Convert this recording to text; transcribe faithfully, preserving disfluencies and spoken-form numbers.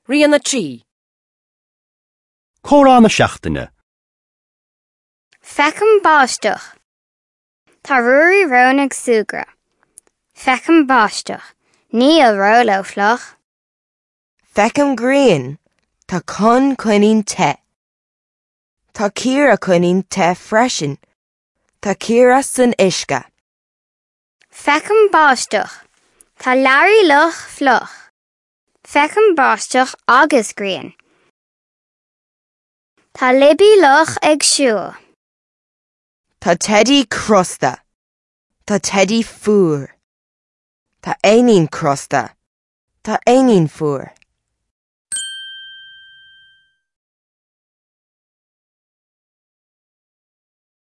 Rian a trí. Comhrá na seachtaine. Feicim báisteach. Tá Ruairí Rón ag súgradh. Feicim báisteach. Níl Róló fliuch. Feicim grian. Tá Con coinín te. Tá Ciara coinín te freisin. Tá Ciara san uisce. Feicim báisteach. Tá Larry Luch fliuch. Feicim báisteach agus grian. Tá Libby Luch ag siúl. Tá Teddy crosta. Tá Teddy fuar. Tá Éinín crosta. Tá Éinín fuar.